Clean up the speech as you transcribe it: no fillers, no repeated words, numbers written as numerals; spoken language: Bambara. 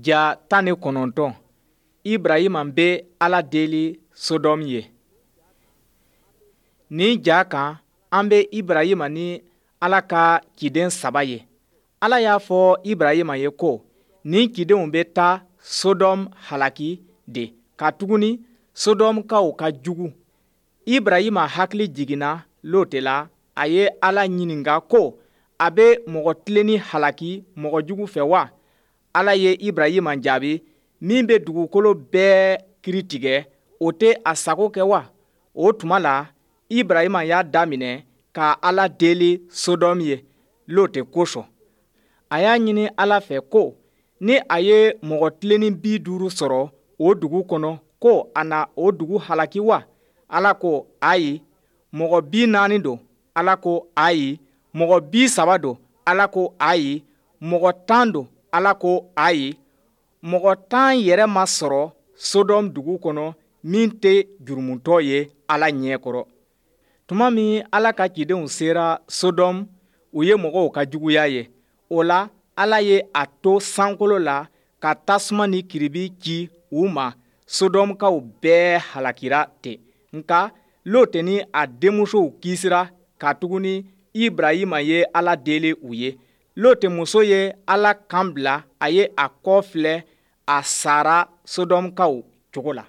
Ja 19, Ibrahima bɛ Ala deli Sodɔmu ye. Nin ja kan, an bɛ Ibrahima ni Ala ka ciden saba ye. Ala y'a fɔ Ibrahima ye ko nin cidenw bɛ taa Sodɔmu halaki de, katuguni Sodɔmukaw ka jugu. Ibrahima hakili jiginna Lote la, a ye Ala ɲininka ko a bɛ mɔgɔ tilennen halaki mɔgɔ jugu fɛ wa? Ala ye Ibrahima jaabi, min bɛ dugukolo bɛɛ kiritigɛ, o tɛ a sago kɛ wa? O tuma la, Ibrahima y'a daminɛ ka Ala deli Sodɔmu ye, Lote kosɔn. A y'a ɲini Ala fɛ ko ni a ye mɔgɔ tilennen 50 sɔrɔ o dugu kɔnɔ, ko a na o dugu halaki wa? Ala ko ayi. Mɔgɔ 40 don. Ala ko ayi. Mɔgɔ 30 don. Ala ko ayi. Mɔgɔ 10 don. Ala ko ayi. Mɔgɔ 10 yɛrɛ ma sɔrɔ Sodɔmu dugu kɔnɔ min tɛ jurumutɔ ye Ala ɲɛ kɔrɔ. Tuma min Ala ka cidenw sera Sodɔmu, u ye mɔgɔw ka juguya ye. O la, Ala ye a to sankolo la ka tasuma ni kiribi ci u ma. Sodɔmukaw bɛɛ halakira ten. Nka Lote ni a denmusow kisira, katuguni Ibrahima ye Ala deli u ye. Lote muso ye Ala kan bila, a ye a kɔ filɛ, a sara Sodɔmukaw cogo la.